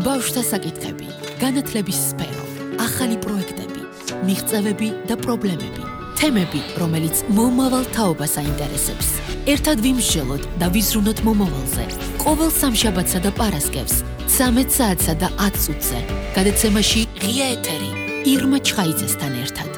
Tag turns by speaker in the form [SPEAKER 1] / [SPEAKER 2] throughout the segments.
[SPEAKER 1] ბავშვთა საკითხები, განათლების სფერო, ახალი პროექტები, მიღწევები და პრობლემები, თემები, რომელიც მომავალ თაობას აინტერესებს. ერთად ვიმსჯელოთ და ვიზრუნოთ მომავალზე. ყოველ სამშაბათსა და პარასკევს, 13 საათსა და 10 წუთზე. გადაცემაში ღია ეთერი, ირმა ჩხაიძესთან ერთად.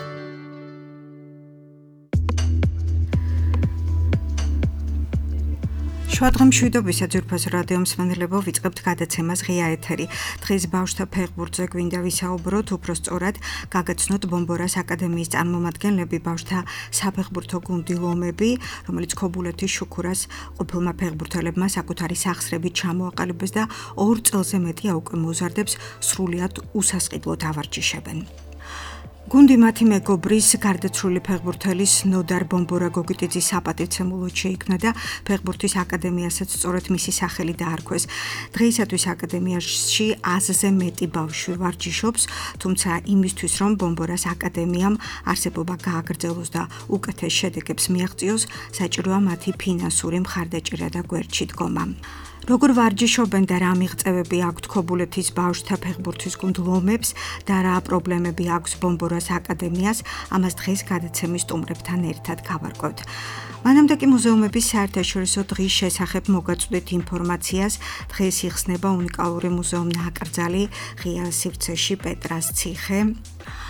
[SPEAKER 2] შუადღე მშვიდობისა ძვირფას რადიო მსმენელებო, ვიწყებთ გადაცემას ღია ეთერი. დღეს ბავშვთა ფეხბურთზე გვინდა ვისაუბროთ, უпростоრად გაგაცნოთ ბომბორას აკადემიის წარმომადგენლები, ბავშვთა საფეხბურთო გუნდი ლომები, რომელიც ქობულეთის შუქურას ყოფილმა ფეხბურთელებმა საკუთარი სახსრებით ჩამოაყალიბეს და 2 წელზე მეტია უკვე მოზარდებს სრულიად უსასყიდლოდ ავარჯიშებენ. გუნდი მათი მეგობრის გარდაცვლილი ფეხბურთელის ნოდარ ბომბორა გოგიტიძის საპატივცემულოდ შეიქმნა და ფეხბურთის აკადემიასაც სწორედ მისი სახელი დაარქვეს. დღეისათვის აკადემიაში 100-ზე მეტი ბავშვი ვარჯიშობს, თუმცა იმისთვის, რომ ბომბორას აკადემიამ არსებობა გააგრძელოს და უკეთეს შედეგებს მიაღწიოს, საჭიროა მათი ფინანსური მხარდაჭერა და გვერდში დგომა. როგორ ვარჯიშობენ და რა მიღწევები აქვთ ქობულეთის ბავშვთა ფეხბურთის გუნდ ლომებს და რა პრობლემები აქვს ბომბორას აკადემიას, ამას დღეს გადაცემის სტუმრებთან ერთად გავარკვევთ. მანამდე კი მუზეუმების საერთაშორისო დღის შესახებ მოგაწვდით ინფორმაციას. დღეს იხსნება უნიკალური მუზეუმ-ნაკრძალი ღია სივრცეში პეტრას ციხე.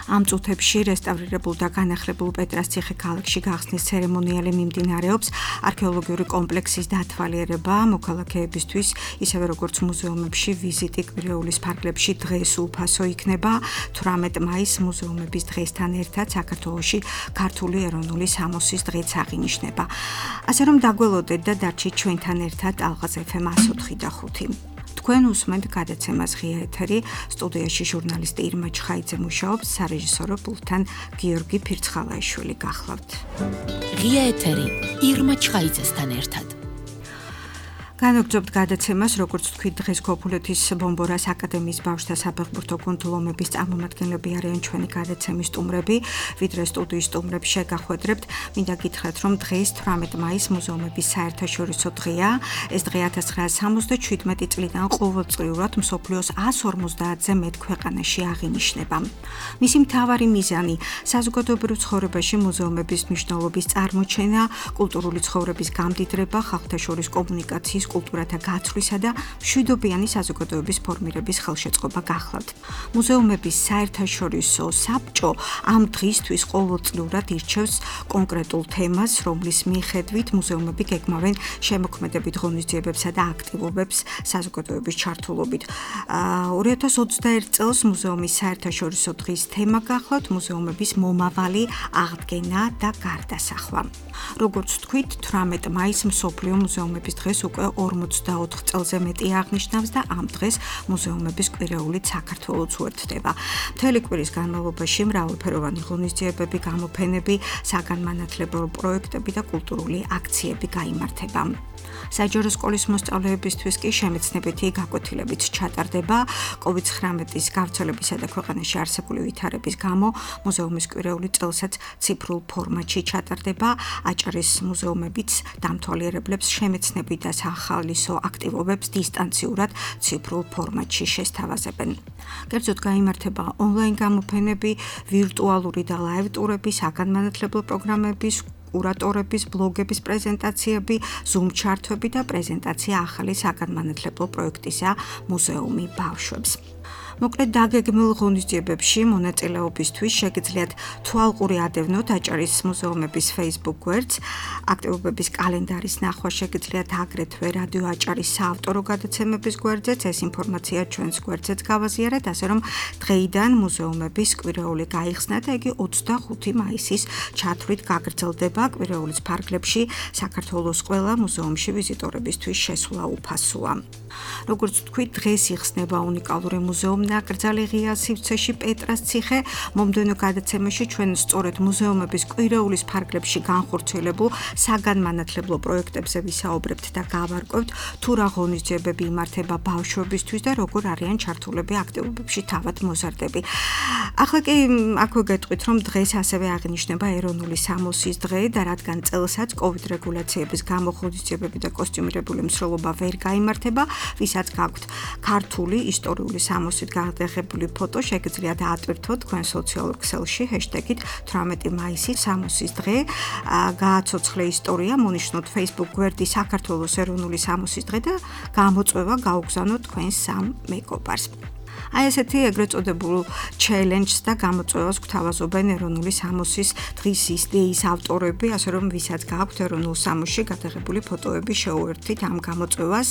[SPEAKER 2] ამ წუთებში რესტავრირებულ და განახლებულ პეტრას ციხე ქალაქში გახსნის ცერემონიალი მიმდინარეობს. არქეოლოგიური კომპლექსის დათვალიერება მოქალაქეებისთვის, ისევე როგორც მუზეუმებში ვიზიტი კვირეულის ფარგლებში დღეს უფასო იქნება. 18 მაისს მუზეუმების დღესთან ერთად საქართველოში ქართული ეროვნული სამოსის დღეც აღინიშნება. ასე რომ დაგველოდეთ და დარჩით ჩვენთან ერთად ალღაზ FM 104 და 5. თქვენ უსმენთ გადაცემას ღია ეთერი, სტუდიაში ჟურნალისტი ირმა ჩხაიძე მუშაობს, სარეჟისორო პულტთან გიორგი ფირცხალაიშვილი გახლავთ.
[SPEAKER 1] ღია ეთერი, ირმა ჩხაიძესთან ერთად.
[SPEAKER 2] განაგრძობთ გადაცემას, როგორც თქვით, დღეს ქობულეთის ბომბორას აკადემიის ბავშვთა საფეხბურთო გუნდ ლომების წარმომადგენლები არიან ჩვენი გადაცემის სტუმრები, ვიდრე სტუდიის სტუმრებს შეგახვედრებთ. მინდა გითხრათ, რომ დღეს 18 მაისს მუზეუმების საერთაშორისო დღეა. ეს დღე 1977 წლიდან ყოველწლიურად მსოფლიოს 150-ზე მეტ ქვეყანაში აღინიშნება. მისი მთავარი მიზანი საზოგადოებრივ ცხოვრებაში მუზეუმების მნიშვნელობის წარმოჩენა, კულტურული ცხოვრების გამდიდრება, ხალხთა შორის კომუნიკაციის კულტურათა გაცვლისა და მშვიდობიანი საზოგადოების ფორმირების ხელშეწყობა გახლავთ. მუზეუმების საერთაშორისო საბჭო ამ დღისთვის ყოველწლიურად ირჩევს კონკრეტულ თემას, რომლის მიხედვით მუზეუმები გეგმავენ შემოქმედებით ღონისძიებებსა და აქტივობებს საზოგადოების ჩართულობით. 2021 წელს მუზეუმის საერთაშორისო დღის თემა გახლავთ მუზეუმების მომავალი, აღდგენა და გარდასახვა. როგორც თქვით, 18 მაისს მსოფლიო მუზეუმების დღეს უკვე 44 წელზე მეტი აღნიშნავს და ამ დღეს მუზეუმების კვირეულით საქართველოც უერთდება. მთელი კვირის განმავლობაში მრავალფეროვანი ღონისძიებები, გამოფენები, საგანმანათლებლო პროექტები და კულტურული აქციები გაიმართება. საჯარო სკოლის მოსწავლეებისთვის კი შემეცნებითი გაკვეთილებით ჩატარდება. COVID-19-ის გავრცელებისა და ქვეყანაში არსებული ვითარების გამო მუზეუმის კვირეული წელსაც ციფრულ ფორმატში ჩატარდება. აჭარის მუზეუმებიც დამთვალიერებლებს შემეცნებით და სახალისო აქტივობებს დისტანციურად ციფრულ ფორმატში შესთავაზებენ. კერძოდ გაიმართება ონლაინ გამოფენები, ვირტუალური და ლაივ ტურები, საგანმანათლებლო პროგრამების, კურატორების, ბლოგების პრეზენტაციები, Zoom ჩართვები და პრეზენტაცია ახალი საგანმანათლებლო პროექტისა მუზეუმი ბავშვებს. მოკლედ დაგეგმილ ღონისძიებებში მონაწილეობისთვის შეგიძლიათ თვალყური ადევნოთ აჭარის მუზეუმების Facebook გვერდს, აქტივობების კალენდარის ნახვა შეგიძლიათ აგრეთვე რადიო აჭარის საავტორო გადაცემების გვერდზეც, ეს ინფორმაცია ჩვენს გვერდზეც გავაზიარეთ, ასე რომ დღეიდან მუზეუმების კვირეული გაიხსნა და იგი 25 მაისის ჩათვლით გაგრძელდება. კვირეულის ფარგლებში საქართველოს ყველა მუზეუმში ვიზიტორებისთვის შესვლა უფასოა. როგორც თქვით, დღეს იხსნება უნიკალური მუზეუმ ნაკრძალი ღია სივრცეში პეტრას ციხე. მომდევნო გადაცემაში ჩვენ სწორედ მუზეუმების კვირეულის ფარგლებში განხორციელებულ საგანმანათლებლო პროექტებზე ვისაუბრებთ და გავარკვევთ თუ რა ღონისძიებები იმართება ბავშვებისთვის და როგორ არიან ჩართულები აქტივობებში თავად მოზარდები. ახლა კი აქვე გეტყვით, რომ დღეს ასევე აღინიშნება ეროვნული სამოსის დღე და რადგან წელსაც COVID რეგულაციების გამო ღონისძიებები და კოსტიუმირებული მსვლელობა ვერ გაიმართება, ვისაც გაქვთ ქართული ისტორიული სამოსით გადაღებული ფოტო, შეგიძლიათ ატვირთოთ თქვენ სოციალურ ქსელში ჰეშტეგით 18 მაისი სამოსის დღე. გააცოცხლე ისტორია, მონიშნოთ Facebook გვერდი საქართველოს ეროვნული სამოსის დღე და გამოწვევა გაუგზავნოთ თქვენ სამ მეგობარს. აი ესეთი ეგრეთ წოდებულ ჩელენჯს და გამოწვევას გვთავაზობენ ეროვნული სამოსის დღის იდეის ავტორები, ასე რომ ვისაც გაქვთ ეროვნულ სამოსში გადაღებული ფოტოები, შეუერთდით ამ გამოწვევას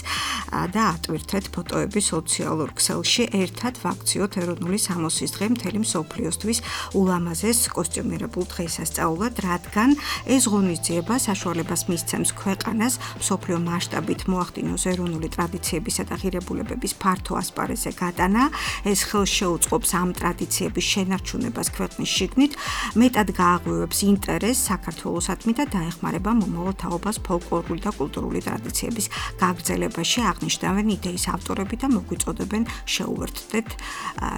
[SPEAKER 2] და ატვირთეთ ფოტოები სოციალურ ქსელში. ერთად ვაქციოთ ეროვნული სამოსის დღე მთელი მსოფლიოსთვის ულამაზეს კოსტიუმირებულ დღესასწაულად, რადგან ეს ღონისძიება საშუალებას მისცემს ქვეყანას მსოფლიო მასშტაბით მოახდინოს ეროვნული ტრადიციებისა და ღირებულებების ფართო ასპარეზზე გატანა. ეს ხელს შეუწყობს ამ ტრადიციების შენარჩუნებას ქვეყნის შიგნით, მეტად გააღვივებს ინტერესს საქართველოსადმი და დაეხმარება მომავალ თაობას ფოლკლორული და კულტურული ტრადიციების გაგრძელებაში, აღნიშნავენ იდეის ავტორები და მოგვიწოდებენ შეუერთდეთ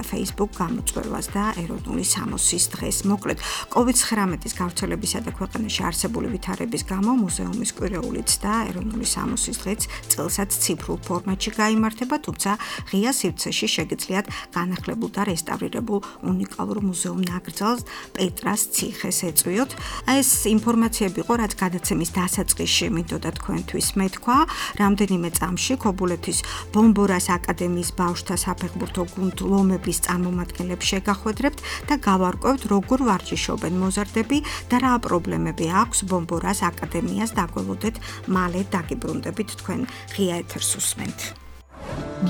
[SPEAKER 2] Facebook გამოწვევას და ეროვნული სამოსის დღეს. მოკლედ, COVID-19-ის გავრცელებისა და ქვეყანაში არსებული ვითარების გამო მუზეუმის კვირეულიც და ეროვნული სამოსის დღეც წელსაც ციფრულ ფორმატში გაიმართება, თუმცა ღია სივრცეში შეგიძლიათ განახლებულ და რესტავრირებულ უნიკალურ მუზეუმ ნაკრძალს პეტრას ციხეს ეწვიოთ. ეს ინფორმაციები იყო, რაც გადაცემის დასაწყისში მინდოდა თქვენთვის მეთქვა. რამდენიმე წამში ქობულეთის ბომბორას აკადემიის ბავშვთა საფეხბურთო გუნდ ლომების წარმომადგენლებს შეგახვედრებთ და გავარკვევთ, როგორ ვარჯიშობენ მოზარდები და რა პრობლემები აქვს ბომბორას აკადემიას. დაგველოდეთ, მალე დაგიბრუნდებით, თქვენ ღია ეთერს უსმენთ.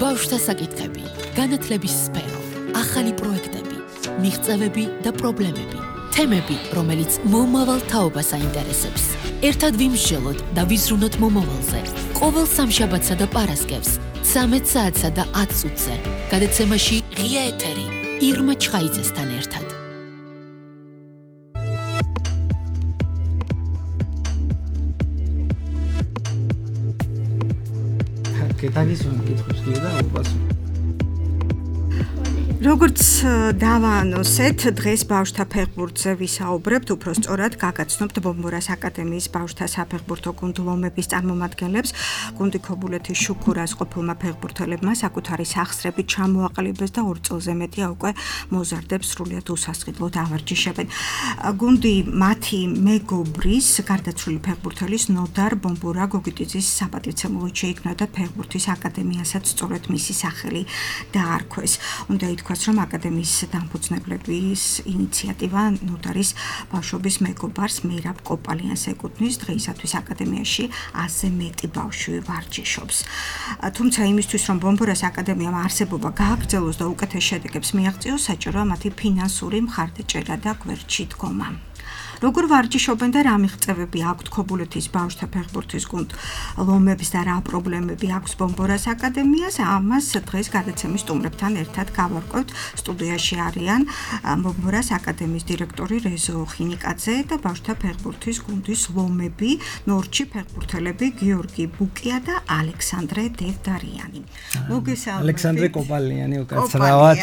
[SPEAKER 1] ბავშვთა საკითხები, განათლების სფერო, ახალი პროექტები, მიღწევები და პრობლემები, თემები, რომელიც მომავალ თაობას აინტერესებს. ერთად ვიმსჯელოთ და ვიზრუნოთ მომავალზე. ყოველ სამშაბათსა და პარასკევს, 13 საათსა და 10 წუთზე. გადაცემაში ღია ეთერი, ირმა ჩხაიძესთან ერთად.
[SPEAKER 3] კეთანის მკითხვის და უპასუხო.
[SPEAKER 2] როგორც დავაანონსეთ, დღეს ბავშვთა ფეხბურთზე ვისაუბრებთ, უფრო სწორად გაგაცნობთ ბომბორას აკადემიის ბავშვთა საფეხბურთო გუნდ ლომების წარმომადგენლებს. გუნდი ქობულეთის შუქურას ყოფილმა ფეხბურთელებმა საკუთარი სახსრები ჩამოაყალიბეს და 2 წელზე მეტია უკვე მოზარდებს სრულიად უსასყიდლოდ ავარჯიშებენ. გუნდი მათი მეგობრის, გარდაცვლილი ფეხბურთელის ნოდარ ბომბორა გოგიტიძის საპატივცემულოდ შეიქმნა და ფეხბურთის აკადემიასაც სწორედ მისი სახელი დაარქვეს. უნდა ითქვას, რომ აკადემიის დამფუძნებლების ინიციატივა ნოდარის ბავშვობის მეგობარს მერაბ კოპალიანს ეკუთვნის. დღეისათვის აკადემიაში 100-ზე მეტი ბავშვი ვარჯიშობს. თუმცა იმისთვის, რომ ბომბორას აკადემიამ არსებობა გააგრძელოს და უკეთეს შედეგებს მიაღწიოს, საჭიროა მათი ფინანსური მხარდაჭერა და გვერდში დგომა. როგორ ვარჯიშობენ და რა მიღწევები აქვთ ქობულეთის ბავშვთა ფეხბურთის გუნდ ლომებს და რა პრობლემები აქვს ბომბორას აკადემიას, ამას დღეს გადაცემის სტუმრებთან ერთად გავარკვევთ. სტუდიაში არიან ბომბორას აკადემიის დირექტორი რეზო ხინიკაძე და ბავშვთა ფეხბურთის გუნდის ლომები ნორჩი ფეხბურთელები გიორგი ბუკია და ალექსანდრე დევდარიანი. მოგესალმებით.
[SPEAKER 3] ალექსანდრე კოპალიანი უკაცრავად.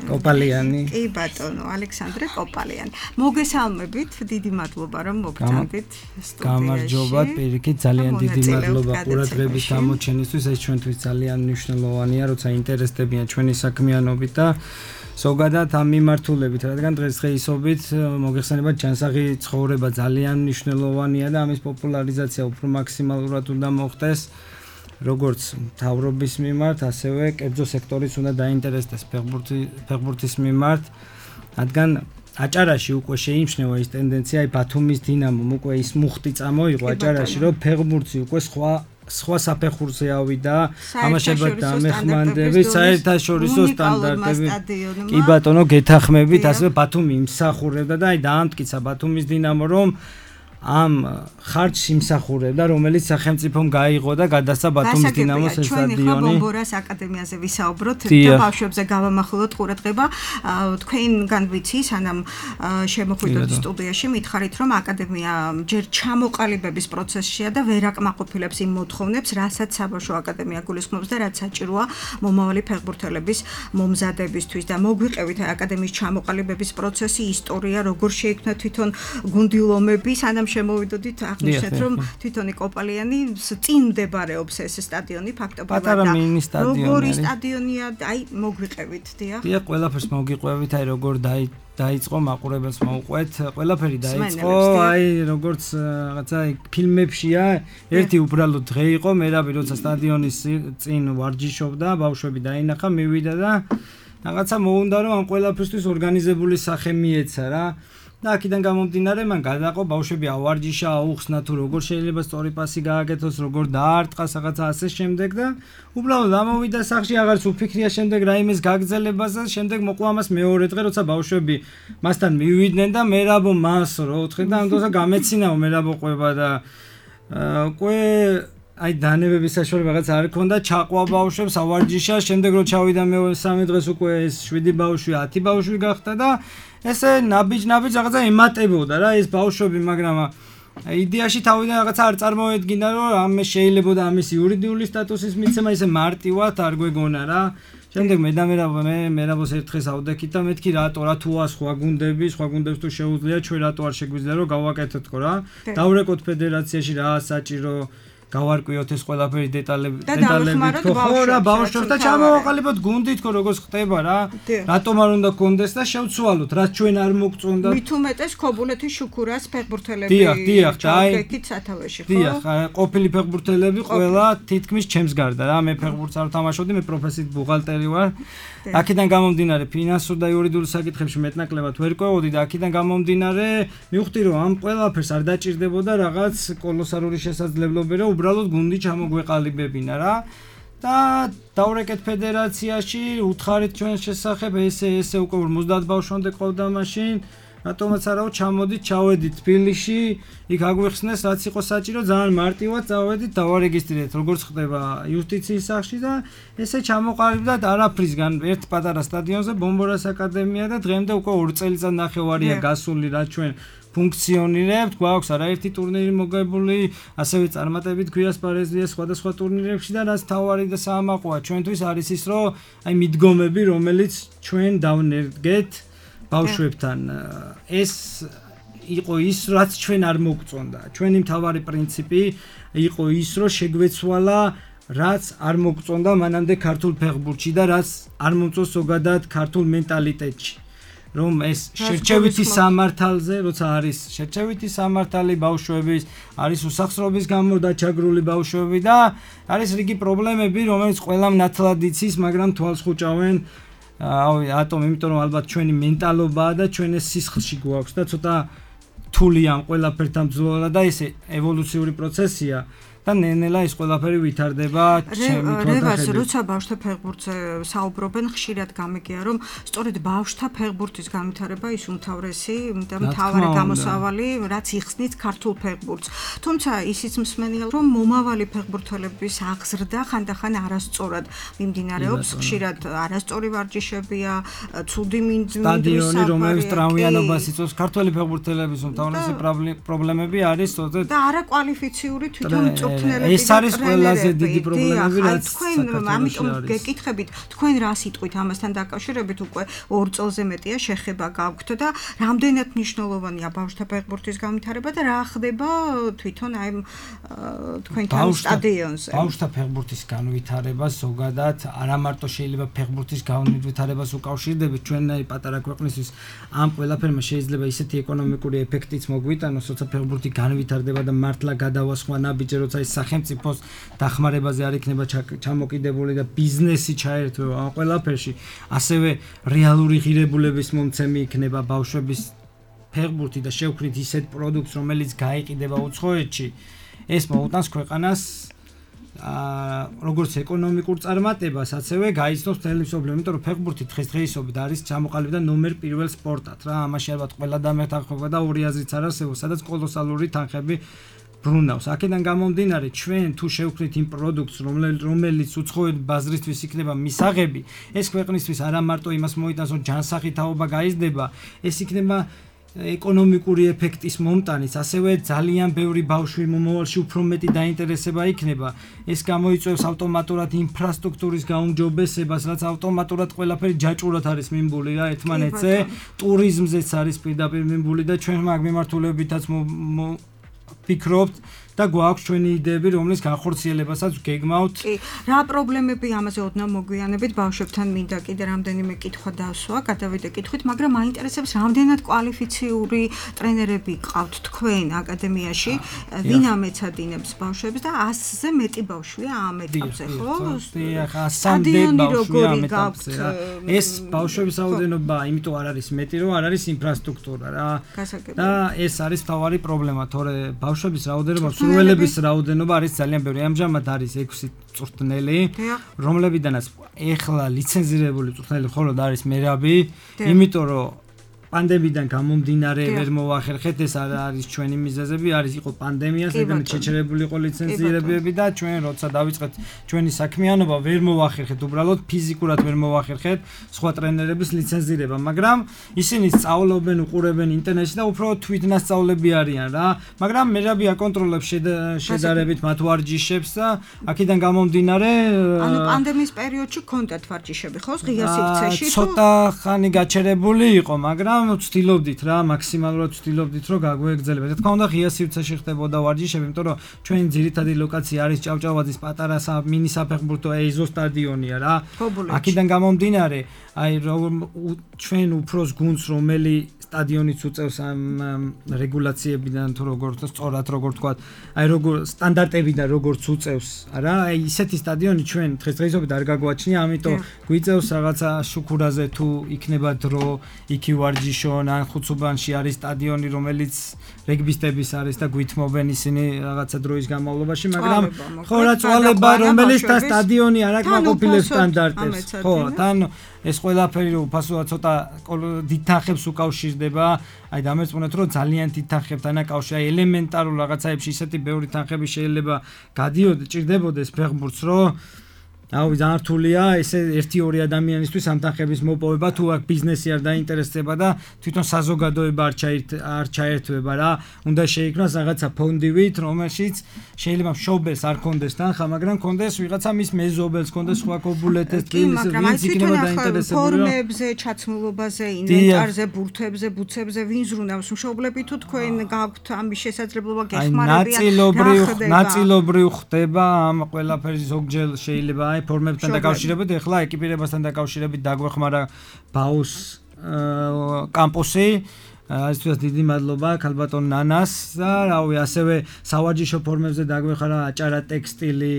[SPEAKER 3] კოპალიანი.
[SPEAKER 2] კი ბატონო, ალექსანდრე კოპალიანი. მოგესალმებით, დიდი მადლობა რომ მოგწონდით სტუდიაში.
[SPEAKER 3] გამარჯობა, პირიქით, ძალიან დიდი მადლობა ყურადღების გამოჩენისთვის. ეს ჩვენთვის ძალიან მნიშვნელოვანია, როცა ინტერესდებიან ჩვენი საქმიანობით და ზოგადად ამ მიმართულებით, რადგან დღესდღეობით მოგეხსენებათ ჩანსაღი ცხოვრება ძალიან მნიშვნელოვანია და ამის პოპულარიზაცია უფრო მაქსიმალურად უნდა მოხდეს. როგორც მთავრობის მიმართ, ასევე კერძო სექტორის უნდა დაინტერესდეს ფეხბურთის მიმართ, რადგან აჭარაში უკვე შეიმჩნევა ის ტენდენცია, ბათუმის დინამომ უკვე ის მუხტი წამოიღო აჭარაში, რომ ფეხბურთი უკვე სხვა საფეხურზე ავიდა, ამაშებად დამეხმანდებით, საერთაშორისო სტანდარტები. კი ბატონო, გეთანხმებით, ასევე ბათუმი იმსახურებდა და აი დაამტკიცა ბათუმის დინამო, რომ ამ ხარჯს იმსახურებდა, რომელიც სახელმწიფომ გაიღო და გადასცა ბათუმის დინამოს სტადიონი.
[SPEAKER 2] ჩვენ ახლა ბომბორას აკადემიაზე ვისაუბროთ და ბავშვებზე გავამახვილოთ ყურადღება. თქვენგან ვიცი, სანამ შემოხვიდოთ სტუდიაში, მითხარით, რომ აკადემია ჯერ ჩამოყალიბების პროცესშია და ვერ აკმაყოფილებს იმ მოთხოვნებს, რასაც საბავშვო აკადემია გულისხმობს და რაც საჭიროა მომავალი ფეხბურთელების მომზადებისთვის და მოგვიყევით აკადემიის ჩამოყალიბების პროცესი, ისტორია, როგორ შეიქმნა თვითონ გუნდილომები, სანამ შემოვიდოდით აღნიშნეთ, რომ თვითონი კოპალიანი წინ მდებარეობს ეს სტადიონი ფაქტობრივად და როგორი სტადიონია, აი მოგვიყევით, დიახ.
[SPEAKER 3] დიახ, ყველაფერს მოგიყვებით, აი როგორ დაიწყო მაყურებელს მოუყვეთ, ყველაფერი დაიწყო, აი როგორც რაღაცა ფილმებშია, ერთი უბრალოდ დღე იყო, მერაბი როცა სტადიონის წინ ვარჯიშობდა, ბავშვები დაინახა, მივიდა და რაღაცა მოუნდა რომ ამ ყველაფერთვის ორგანიზებული სახე მიეცა რა. და აქედან გამომდინარე მან გადაყო ბავშვები ავარჯიშა, აუხსნა თუ როგორ შეიძლება სწორი პასი გააკეთოს, როგორ დაარტყას რაღაცა ასე შემდეგ და უბრალოდ ამოვიდა სახში, აღარც უფიქრია შემდეგ რაიმეს გაგრძელებაზე, შემდეგ მოყვა მას მეორე დღე, როცა ბავშვები მასთან მივიდნენ და მერაბო მას რო უთხრე და ამ დროსაც გამეცინაო მერაბო ყვება და უკვე აი დანებების საშუალება რაღაც არ ქონდა, ჩაყვა ბავშვებს ავარჯიშა, შემდეგ რო ჩავიდა მე-3 დღეს უკვე ეს 7 ბავშვი, 10 ბავშვი გახდა და ესე ნაბიჯ რაღაცა ემატებოდა რა ეს ბავშვები, მაგრამ იდეაში თავიდან რაღაცა არ წარმოედგინა რომ ამ შეიძლებოდა ამის იურიდიული სტატუსის მიცემა, ისე მარტივად არ გვეგონა რა. შემდეგ მე მერაბოს ერთ დღეს ავდექით და მეთქი რატო სხვა გუნდებს თუ შეუძლია ჩვენ რატო არ შეგვიძლია რომ გავაკეთეთო რა. დავრეკოთ ფედერაციაში რა საჭირო გავარკვიოთ ეს ყველაფერი დეტალები ხო რა ბავშვებს და ჩამოვაყალიბოთ გუნდით ხო როგორც ხდება რა რატომ არ უნდა გქონდეს და შევცვალოთ რაც ჩვენ არ მოგწონდა
[SPEAKER 2] მით უმეტეს ქობულეთის შუქურას ფეხბურთელები
[SPEAKER 3] დიახ
[SPEAKER 2] ჩავდექით სათავეში ხო
[SPEAKER 3] დიახ ყოფილი ფეხბურთელები ყველა თითქმის ჩემს გარდა რა მე ფეხბურთს არ ვთამაშობდი მე პროფესიით ბუღალტერი ვარ აქედან გამომდინარე ფინანსურ და იურიდიულ საკითხებში მეტნაკლებად ვერ ყვევოდი და აქედან გამომდინარე მივხვდი რომ ამ ყველაფერს არ დაჭირდებოდა რაღაც კოლოსალური შესაძლებლობები რომ უბრალოდ გუნდი ჩამოგვეყალიბებინა რა და დავრეკეთ ფედერაციაში უთხარით ჩვენს შესახებ ესე უკვე 50 ბავშვამდე ყავდა მაშინ რატომაც არაო ჩამოდით ჩავედით თბილისში იქ აგვიხსნეს რაც იყო საჭირო ძალიან მარტივად წავედით დავარეგისტრირეთ როგორც ხდება იუსტიციის სახში და ესე ჩამოყალიბდათ არაფრისგან ერთ პატარა სტადიონზე ბომბორას აკადემია და დღემდე უკვე 2 წელიწადნახევარია გასული რა ჩვენ ფუნქციონირებთ, გვაქვს არაერთი ტურნირი მოგებული, ასევე წარმატებით გვიასპარეზია სხვადასხვა ტურნირებში და რაც თავარი და საამაყოა ჩვენთვის არის ის, რომ აი მიდგომები, რომელიც ჩვენ დავნერგეთ ბავშვებთან, ეს იყო ის, რაც ჩვენ არ მოგწონდა. ჩვენი მთავარი პრინციპი იყო ის, რომ შეგვეცვალა რაც არ მოგწონდა მანამდე ქართულ ფეხბურთში და რაც არ მომწონს ზოგადად ქართულ მენტალიტეტში. რომ ეს შერჩევითი სამართალზე, როცა არის შერჩევითი სამართალი ბავშვების, არის უსახსრობის გამო დაჩაგრული ბავშვები და არის რიგი პრობლემები, რომელიც ყველამ ნათლად იცის, მაგრამ თვალს ხუჭავენ ატომ, იმიტომ რომ ალბათ ჩვენი მენტალობაა და ჩვენ ეს სისხლში გვაქვს და ცოტა რთულია ამ ყველაფერთან ბრძოლა და ეს ევოლუციური პროცესია. და ნენელა ის ყველაფერი ვითარდება ჩემი თვალსაჩინო.
[SPEAKER 2] როცა ბავშვთა ფეხბურთზე საუბრობენ, ხშირად გამიგია, რომ სწორედ ბავშვთა ფეხბურთის განვითარება ის უმთავრესი და მთავარი გამოსავალი, რაც იხსნით ქართულ ფეხბურთს. თუმცა ისიც მსმენია, რომ მომავალი ფეხბურთელების აღზრდა ხანდახან არასწორად მიმდინარეობს, ხშირად არასწორი ვარჯიშებია, ცუდი მინდვრის
[SPEAKER 3] სტადიონი, რომელიც ტრავმიანობას იწვევს, ქართველი ფეხბურთელების უმთავრესი პრობლემები არის თორე
[SPEAKER 2] და არაკვალიფიციური თვითონ
[SPEAKER 3] ეს არის ყველაზე დიდი პრობლემები რაც
[SPEAKER 2] თქვენ ამიტომ გეკითხებით თქვენ რა სიტყვით ამასთან დაკავშირებით უკვე 2 წელზე მეტია შეხება გაქვთ და რამდენად მნიშვნელოვანია ბავშვთა ფეხბურთის განვითარება და რა ხდება თვითონ აი თქვენთან სტადიონზე
[SPEAKER 3] ბავშვთა ფეხბურთის განვითარება ზოგადად არა მარტო შეიძლება ფეხბურთის განვითარებას უკავშირდებით ჩვენნაირი პატარა ქვეყნისთვის ამ ყველაფერმა შეიძლება ისეთი ეკონომიკური ეფექტიც მოგვიტანოს როცა ფეხბურთი განვითარდება და მართლა გადავასხვა ნაბიჯი როცა სახელმწიფოს დახმარებაზე არ იქნება ჩამოკიდებული და ბიზნესი ჩაერთვება ამ ყველაფერში, ასევე რეალური ღირებულების მომცემი იქნება ბავშვების ფეხბურთი და შევქმნით ისეთ პროდუქტს, რომელიც გაიყიდება უცხოეთში, ეს მოუტანს ქვეყანას როგორც ეკონომიკურ წარმატებას, ასევე გაიცნობს მთელი მსოფლიო, იმიტომ რომ ფეხბურთი დღესდღეობით არის ჩამოყალიბდა და ნომერ პირველ სპორტად რა, ამაში ალბათ ყველა დამეთანხმება და ორი აზრიც არ არსებობს, სადაც კოლოსალური თანხები ბრუნავს. აქედან გამომდინარე, ჩვენ თუ შევქმნით იმ პროდუქტს, რომელიც უცხოელი ბაზრისთვის იქნება მისაღები, ეს ქვეყნისთვის არა მარტო იმას მოიტანს, რომ ჯანსაღი თაობა გაიზრდება, ეს იქნება ეკონომიკური ეფექტის მომტანიც, ასევე ძალიან ბევრი ბავშვი მომავალში უფრო მეტი დაინტერესება იქნება. ეს გამოიწვევს ავტომატურად ინფრასტრუქტურის გაუმჯობესებას, რაც ავტომატურად ყველაფერი ჯაჭვურად არის მიმბული რა ერთმანეთზე, ტურიზმზეც არის პირდაპირ მიმბული და ჩვენ მაგ მიმართულებითაც ვფიქრობთ და გვაქვს ჩვენი იდეები, რომლის განხორციელებასაც გეგმავთ.
[SPEAKER 2] კი, რა პრობლემები ამაზე ოდნავ მოგვიანებით ბავშვებთან მინდა კიდე რამდენიმე კითხვა დავსვა, გადავიდე კითხვით, მაგრამ მაინტერესებს რამდენად კვალიფიციური ტრენერები გყავთ თქვენ აკადემიაში, ვინ ამეცადინებს ბავშვებს და 100-ზე მეტი ბავშვია ამ ეტაპზე, ხო?
[SPEAKER 3] დიახ, 100-მდე ბავშვია ამ ეტაპზე რა. ეს ბავშვების რაოდენობა, იმიტომ არ არის მეტი, რომ არ არის ინფრასტრუქტურა რა. და ეს არის მთავარი პრობლემა, თორე ბავშვების რაოდენობა სრულების რაოდენობა არის ძალიან ბევრი. ამჟამად არის 6 წვრთნელი, რომლებიდანაც ეხლა ლიცენზირებული წვრთნელი მხოლოდ არის მერაბი, იმიტომ რომ პანდემიიდან გამომდინარე ვერ მოვახერხეთ, ეს არის ჩვენი მიზეზები, იყო პანდემია, სადაც შეჩერებული იყო ლიცენზირებები და ჩვენ როცა დავიწყეთ ჩვენი საქმიანობა, ვერ მოვახერხეთ, უბრალოდ ფიზიკურად ვერ მოვახერხეთ სხვა ტრენერების ლიცენზირება, მაგრამ ისინი სწავლობენ, უყურებენ ინტერნეტში და უფრო თვითნასწავლები არიან რა, მაგრამ მერაბი აკონტროლებს შედარებით მათ ვარჯიშებს და აქედან გამომდინარე
[SPEAKER 2] ანუ პანდემიის პერიოდში გქონდათ ვარჯიშები, ხო, ღია სივრცეში თუ
[SPEAKER 3] ცოტა ხანი გაჩერებული იყო, მაგრამ ვცდილობდით რა, მაქსიმალურად ვცდილობდით რომ გაგვეგრძელებათ. რა თქმა უნდა, ღია სივრცეში ხდებოდა ვარჯიშები, იმიტომ რომ ჩვენი ძირითადი ლოკაცია არის ჭავჭავაძის პატარა მინი საფეხბურთო ეზო სტადიონია რა. აქედან გამომდინარე, ჩვენ უფროს გუნდს, რომელი სტადიონიც უწევს ამ რეგულაციებიდან თუ სწორად როგორ თქვათ, როგორ სტანდარტებიდან როგორც უწევს, რა, ისეთი სტადიონი ჩვენ დღესდღეობით არ გაგვაჩნია, ამიტომ გვიწევს რაღაცა შუქურაზე თუ იქნება დრო, იქი ვარჯიშონ, ან ხუცუბანში არის სტადიონი, რომელიც რეგბისტების არის და გვითმობენ ისინი რაღაცა დროის განმავლობაში, მაგრამ ხო რა წვალება, რომელიც და სტადიონი არ აკმაყოფილებს სტანდარტებს. ხო, თან ეს ყველაფერი უფასოა ცოტა დიდ თანხებს უკავშირდება, აი დამერწმუნეთ რომ ძალიან დიდ თანხებთან აკავშირა, ელემენტარულ რაღაცაებში ისეთი ბევრი თანხები შეიძლება ჭირდებოდეს ფეხბურთს, რომ ძალიან რთულია ესე 1-2 ადამიანისთვის ამ თანხების მოპოვება, თუ აქ ბიზნესი არ დაინტერესდება და თვითონ საზოგადოება არ ჩაერთვება რა, უნდა შეიქმნას რაღაცა ფონდივით, რომელშიც შეიძლება მშობელს არ კონდეს თანხა, მაგრამ კონდეს ვიღაცა მის მეზობელს, კონდეს სხვა კობულეთეს, ვინც იქნება დაინტერესებული
[SPEAKER 2] ფორმებზე, ჩაცმულობაზე, ინვენტარზე, ბურთებზე, ბუცებზე, ვინ ზრუნავს მშობლები თუ თქვენ გაქვთ ამის შესაძლებლობა გეხმარებიან?
[SPEAKER 3] ნაწილობრივ ხდება ამ ყველაფერი ზოგჯერ შეიძლება ფორმებთან დაკავშირებით, ეხლა ეკიპირებასთან დაკავშირებით დაგვეხმარა ბაუს კამპუსი, այսպես დიდი მადლობა ქალბატონ ნანას და რავი, ასევე სავარჯიშო ფორმებზე დაგვეხმარა აჭარა ტექსტილი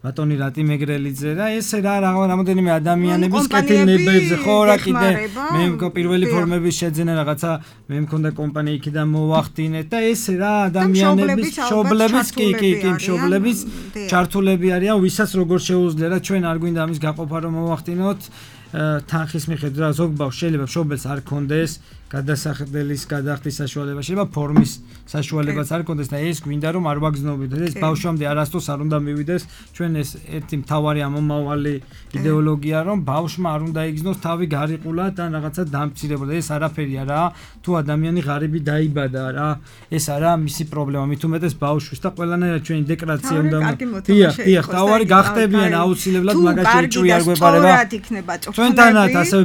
[SPEAKER 3] ბატონი რატი მეგრელიძე და ესე რა რამოდენიმე ადამიანების კეთილნებებზე ხო რა კიდე მე პირველი ფორმების შეძენა რაღაცა მე მქონდა კომპანია იქიდან მოვახდინეთ და ესე რა ადამიანების მშობლების კი მშობლების ჩართულები არიან, ვისაც როგორ შეუძლია რა, ჩვენ არ გვინდა ამის გაყოფა რომ მოვახდინოთ თანხის მიხედვით რა, ზოგ ბავშვს შეიძლება მშობელს არ კონდეს გადასახდელის გადახდის საშუალება, შეიძლება ფორმის საშუალებაც არ კონდეს და ეს გვინდა რომ არ ვაგზნობით, ეს ბავშვამდე არასდროს არ უნდა მივიდეს, ჩვენ ეს ერთი მთავარი ამომავალი იდეოლოგია რომ ბავშვმა არ უნდა იგზნოს თავი გარიყულად ან რაღაცა დამცირებულად, ეს არაფერია რა, თუ ადამიანი ღარიბი დაიბადა რა, ეს არა მისი პრობლემა, მით უმეტეს ბავშვის და ყველანაირად ჩვენი დეკრაცია უნდა დიახ, თავარი გახდებიან აუცილებლად, მაგაში ჭვი არ გვეპარება. ჩვენთანაც ასევე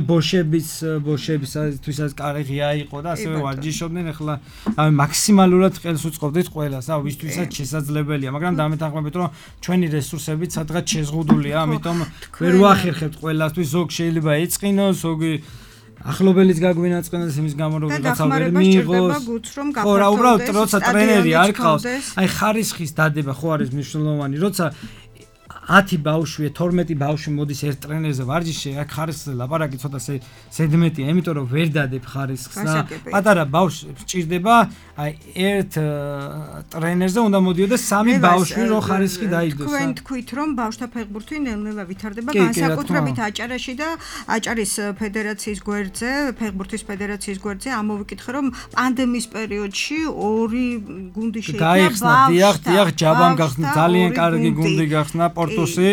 [SPEAKER 3] ბოშებისთვისაც კარგი იყო და ასევე ვარჯიშობდნენ, ახლა მაქსიმალურად ხელს უწყობდით ყველას, ვისთვისაც შესაძლებელია, მაგრამ დამეთანხმებით რომ ჩვენი რესურსებით სადღაც შეზღუდულია, ამიტომ ვერ ვახერხებთ ყველასთვის, ზოგ შეიძლება ეწყინოს, ზოგი ახლობელიც გაგვინაწყენოს იმის გამო რომ რაღაცა ვერ მიიღოს. ხო რა, უბრალოდ როცა ტრენერი არ ყავს, აი ხარისხის დადება ხო არის მნიშვნელოვანი, როცა 10 ბავშვია 12 ბავშვი მოდის ერთ ტრენერზე ვარჯიშში აქ ხარისხზე ლაპარაკი ცოტა სედმეტია იმიტომ რომ ვერ დადებ ხარისხს და პატარა ბავშვი სჭირდება აი ერთ ტრენერზე უნდა მოდიოდეს 3 ბავშვი რომ ხარისხი დაიდოს
[SPEAKER 2] თქვენ თქვით რომ ბავშვთა ფეხბურთი ნელ-ნელა ვითარდება განსაკუთრებით აჭარაში და აჭარის ფედერაციის გვერდზე ფეხბურთის ფედერაციის გვერდზე ამოვიკითხე რომ პანდემიის პერიოდში ორი გუნდი
[SPEAKER 3] გაიხსნა დიახ ჯაბამ გახსნა ძალიან კარგი გუნდი გახსნა პორტუსი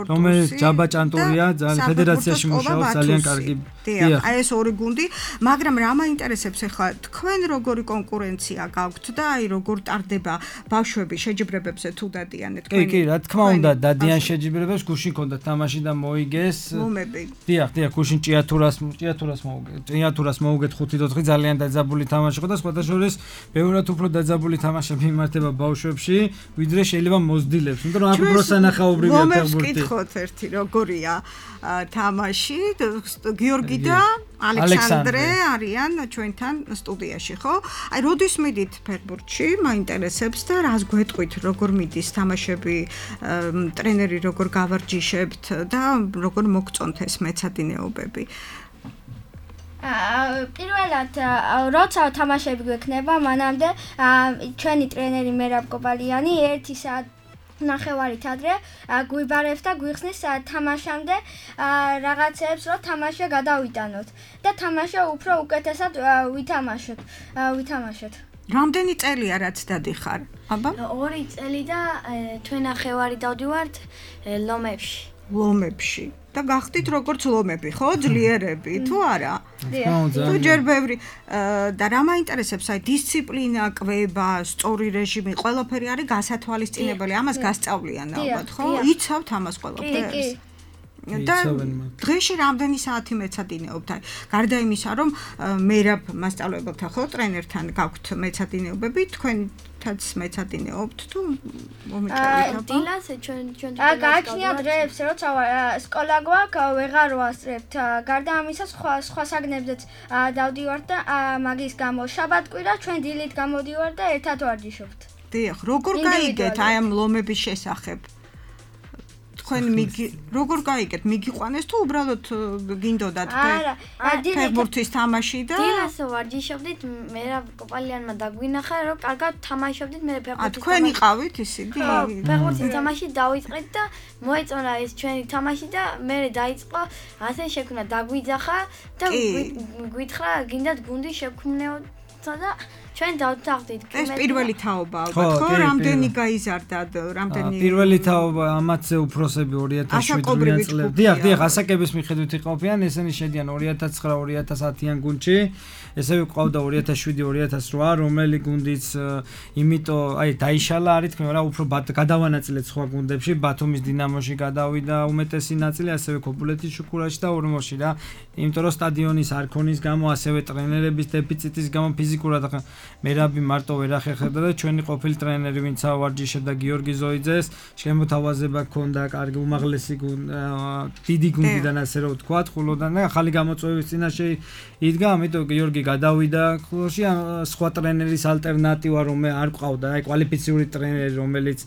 [SPEAKER 3] რომელიც ჯაბა ჭანტურია ძალიან ფედერაციაში მუშაობს ძალიან კარგი
[SPEAKER 2] დიახ აი ეს ორი გუნდი მაგრამ რა მაინტერესებს ახლა თქვენ როგორი კონკურენცია გაქვთ და აი როგორ ტარდება ბავშვები შეჯიბრებებზე თუ დადიან თქვენ
[SPEAKER 3] კი რა თქმა უნდა დადიან შეჯიბრებებს გუშინ ქონდა თამაში და მოიგეს
[SPEAKER 2] ლომები
[SPEAKER 3] დიახ გუშინ ჭიათურას მოუგეთ 5-4 ძალიან დაძაბული თამაში იყო და სხვათა შორის ბევრად უფრო დაძაბული თამაშები იმართება ბავშვებში ვიდრე შეიძლება მოზრდილებს იმიტომ რომ აქ უფრო სანახაობრივია ფეხბურთი
[SPEAKER 2] მოგკითხოთ ერთი როგორია თამაში გიორგი და ალექსანდრე არიან ჩვენთან სტუდიაში ხო? აი როდის მიდით ფეხბურთში? მაინტერესებს და რას გვეტყვით როგორ მიდის თამაშები ტრენერი როგორ გავარჯიშებთ და როგორ მოგწონთ ეს მეცადინეობები?
[SPEAKER 4] პირველად როცა თამაშები გვექნება მანამდე ჩვენი ტრენერი მერაბ კოპალიანი 1 საათი ნახევარით ადრე გვიბარებს და გვიხსნის თამაშამდე რაღაცებს რომ თამაში გადავიტანოთ და თამაში უფრო უკეთესად ვითამაშოთ.
[SPEAKER 2] რამდენი წელია რაც დადიხარ? აბა
[SPEAKER 4] 2 წელი და თვენახევარი დავდივართ
[SPEAKER 2] ლომებში და გახდით როგორც ლომები ხო ძლიერები თუ არა? თუ ჯერ ბევრი და რა მაინტერესებს აი დისციპლინა, კვება, სწორი რეჟიმი, ყველაფერი არის გასათვალისწინებელი, ამას გასწავლიან ალბათ ხო? იცავთ ამას ყველაფერს? და დღეში რამდენი საათი მეცადინეობთ? აი გარდა იმისა რომ მერაბ მასწავლებელთა ხო ტრენერთან გაქვთ მეცადინეობები, თქვენთაც მეცადინეობთ თუ მომიჭრებით?
[SPEAKER 4] დილას ჩვენ გააჩნია დღეებს როცა სკოლა გვაქვს ვეღარ ვასწრებთ. გარდა ამისა სხვა საგნებზეც დავდივართ და მაგის გამო შაბათ-კვირა ჩვენ დილით გამოდივართ და ერთად ვარჯიშობთ.
[SPEAKER 2] დიახ, როგორ გაიგეთ აი ამ ლომების შესახებ? თქვენ როგორ გაიგეთ? მიგიყვანეს თუ უბრალოდ გინდოდათ ფეხბურთის თამაში და
[SPEAKER 4] დილას ვარჯიშობდით, მე რა კოპალიანმა დაგვინახა რომ კარგად თამაშობდით მე ფეხბურთის
[SPEAKER 2] თქვენ იყავით ისინი?
[SPEAKER 4] ხო, ფეხბურთის თამაში დავიწყეთ და მოეწონა ეს ჩვენი თამაში და მე დაიწყო ასე შექმნა დაგვიძახა და გვითხრა გინდათ გუნდი შექმნეოთ და ჩვენ დავთანხმდით
[SPEAKER 2] ეს პირველი თაობა ალბათ ხო? რამდენი გაიზარდათ, რამდენი
[SPEAKER 3] პირველი თაობა ამათზე უფროსები 2007 წლებში. დიახ, ასაკების მიხედვით იყოფიან, ესენი შედიან 2009-2010-იან გუნდში. ესევე ყავდა 2007-2008, რომელი გუნდიც იმიტომ აი დაიშალა არის თქვენ რა უფრო გადავანაწილეთ სხვა გუნდებში, ბათუმის დინამოში გადავიდა უმეტესი ნაწილი, ასევე ქობულეთის შუქურაში და ორმოში რა. იმიტომ რომ სტადიონის არქონის გამო, ასევე ტრენერების დეფიციტის გამო ფიზიკურად მერაბი მარტო ვერ ახერხებდა და ჩვენი ყოფილი ტრენერი ვინც ავარჯიშებდა გიორგი ზოიძეს, შემოთავაზება ჰქონდა კარგი უმაღლესი დიდი გუნდიდან ასე რომ ვთქვა, ხულოდან და ახალი გამოწვევის წინაშე იდგა, ამიტომ გიორგი გადავიდა ხულოში სხვა ტრენერის ალტერნატივა რომ არ ყავდა, აი კვალიფიციური ტრენერი რომელიც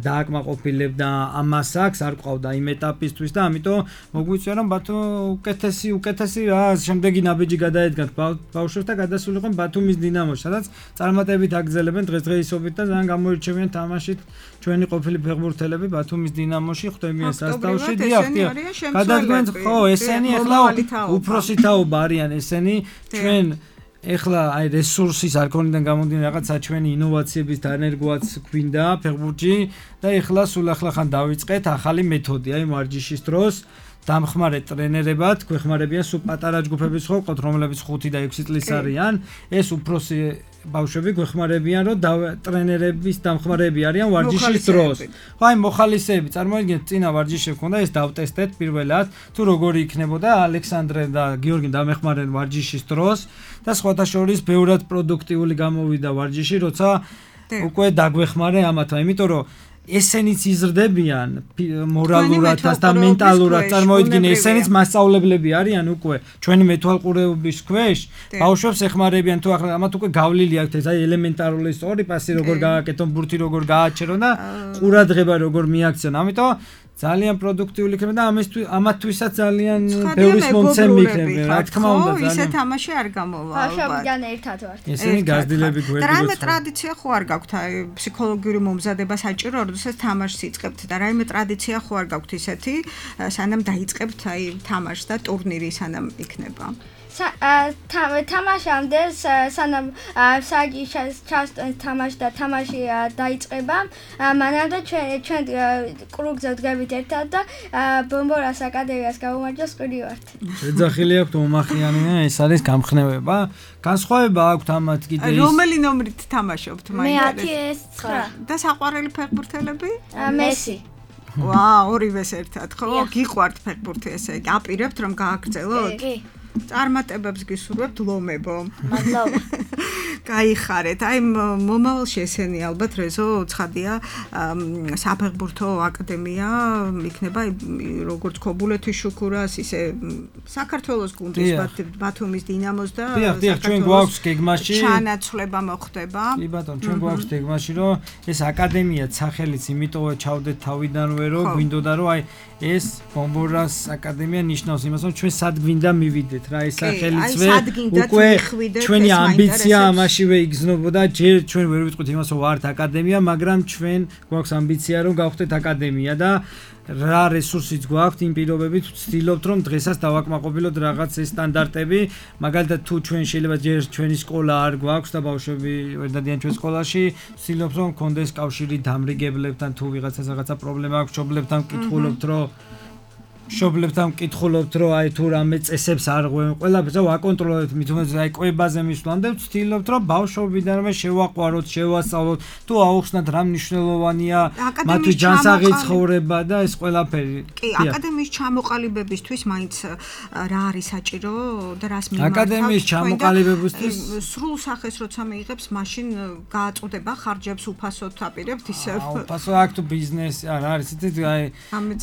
[SPEAKER 3] დააკმაყოფილებდა ამას აქვს, არ ყავდა იმ ეტაპისთვის და ამიტომ მოგვიწვია რომ ბათუმ უკეთესი რა შემდეგი ნაბიჯი გადაედგათ ბავშვებს და გადასულიყვნენ ბათუმის დინამოში, სადაც წარმატებით აგრძელებენ დღესდღეობით და ძალიან გამოირჩევიან თამაშით ჩვენი ყოფილი ფეხბურთელები ბათუმის დინამოში ხვდებიან სასტავში დიახ გადადგმენ ხო ესენი ახლა უფროსი თაობა არიან ესენი ჩვენ ეხლა აი რესურსის არქონიდან გამომდინარე რაღაცა ჩვენი ინოვაციების დანერგვაც გვინდა ფეხბურთში და ეხლა სულ ახლა დავიწყეთ ახალი მეთოდი აი ვარჯიშის დროს დამხმარე ტრენერებად გვეხმარებიან სულ პატარა ჯგუფების ხო ყოთ რომლებიც 5 და 6 წლის არიან ეს უფროსი ბავშვები გვეხმარებიან რომ ტრენერების დამხმარეები არიან ვარჯიშის დროს ხო აი მოხალისეები წარმოიდგინეთ წინა ვარჯიშები ქონდა ეს დავტესტეთ პირველად თუ როგორი იქნებოდა ალექსანდრე და გიორგი დამეხმარენ ვარჯიშის დროს და სხვათა შორის ბევრად პროდუქტიული გამოვიდა ვარჯიში როცა უკვე დაგვეხმარე ამათმა იმიტომ რომ ესენიც იზრდებიან მორალურად და მენტალურად წარმოიდგინე ესენიც მასწავლებლები არიან უკვე ჩვენი მეთვალყურეობის ქვეშ ბავშვებს ეხმარებიან თუ ახლა ამათ უკვე გავლილი აქვთ ეს აი ელემენტარული სწორი პასი როგორ გააკეთონ ბურთი როგორ გააჩერონ და ყურადღება როგორ მიაქცენ ამიტომ ძალიან პროდუქტიული იქნება და ამათთვისაც ძალიან ბევრის მომცემი იქნება, რა თქმა უნდა, ძალიან.
[SPEAKER 2] ისე თამაში არ გამოვა.
[SPEAKER 4] ბავშვობიდან ერთად ვართ.
[SPEAKER 3] ესენი გაზრდილები გვერდით.
[SPEAKER 2] რაიმე ტრადიცია ხო არ გაქვთ, აი ფსიქოლოგიური მომზადება საჭირო, როდესაც თამაშს იწყებთ და რაიმე ტრადიცია ხო არ გაქვთ ისეთი, სანამ დაიწყებთ აი თამაშს და ტურნირი სანამ იქნება.
[SPEAKER 4] თამაშამდე სანამ საგი თამაში და თამაში დაიწყება მანამდე ჩვენ კრუგზე ვდგებით ერთად და ბომბორას აკადემიას გავუმარჯოს ყვირი ვართ.
[SPEAKER 3] შეძახილი აქვთ ომახიანი და ეს არის გამხნევება. განსხვავება აქვთ ამათ კიდე ის.
[SPEAKER 2] რომელი ნომრით თამაშობთ
[SPEAKER 4] მე 10-9
[SPEAKER 2] და საყვარელი ფეხბურთელები?
[SPEAKER 4] მესი.
[SPEAKER 2] ორივეს ერთად ხო? გიყვართ ფეხბურთი ესე იგი აპირებთ რომ გააგრძელოთ?
[SPEAKER 4] კი.
[SPEAKER 2] წარმატებებს გისურვებთ ლომებო.
[SPEAKER 4] მადლობა.
[SPEAKER 2] გაიხარეთ. აი მომავალში ესენი ალბათ რეზო ცხადია საფეხბურთო აკადემია იქნება როგორც ქობულეთის შუქურას ისე საქართველოს გუნდის ბათუმის დინამოს და
[SPEAKER 3] დიახ, ჩვენ გვაქვს გეგმაში
[SPEAKER 2] ჩანაცვლება მოხდება.
[SPEAKER 3] კი ბატონო, ჩვენ გვაქვს გეგმაში რომ ეს აკადემია სახელიც იმიტომა ჩავდეთ თავიდანვე რომ გვინდოდა რომ აი ეს ბომბორას აკადემია ნიშნავს იმას რომ ჩვენ სად გვინდა მივიდეთ რა ეს სახელიცვე უკვე ჩვენი ამბიცია ამაშივე იგრძნობოდა ჯერ ჩვენ ვერ ვიტყვით იმას რომ ვართ აკადემია მაგრამ ჩვენ გვაქვს ამბიცია რომ გავხდეთ აკადემია და რა რესურსიც გვაქვს იმ პირობებით ვცდილობთ რომ დღესაც დავაკმაყოფილოთ რაღაც ეს სტანდარტები მაგალითად თუ ჩვენ შეიძლება ჯერ ჩვენი სკოლა არ გვაქვს და ბავშვები ვერ დადიან ჩვენ სკოლაში ვცდილობთ რომ გქონდეს კავშირი დამრიგებლებთან თუ ვიღაცას რაღაცა პრობლემა აქვს მშობლებთან მკითხულობთ რომ აი თუ რამე წესებს არ ღვევენ ყველაფერს ვაკონტროლებთ მით უმეტეს აი კვებაზე მისვლამდე ვცდილობთ რომ ბავშვობიდანვე შევაყვაროთ შევასწავლოთ თუ აუხსნათ რა მნიშვნელოვანია მათთვის ჯანსაღი ცხოვრება და ეს ყველაფერი
[SPEAKER 2] კი აკადემიის ჩამოყალიბებისთვის მაინც რა არის საჭირო და რას მიმართავთ
[SPEAKER 3] აკადემიის ჩამოყალიბებისთვის
[SPEAKER 2] სრულ სახეს როცა მიიღებს მაშინ გააწუდება ხარჯებს უფასოდ აპირებთ ისე
[SPEAKER 3] უფასო აქ თუ ბიზნესი არ არის იცით აი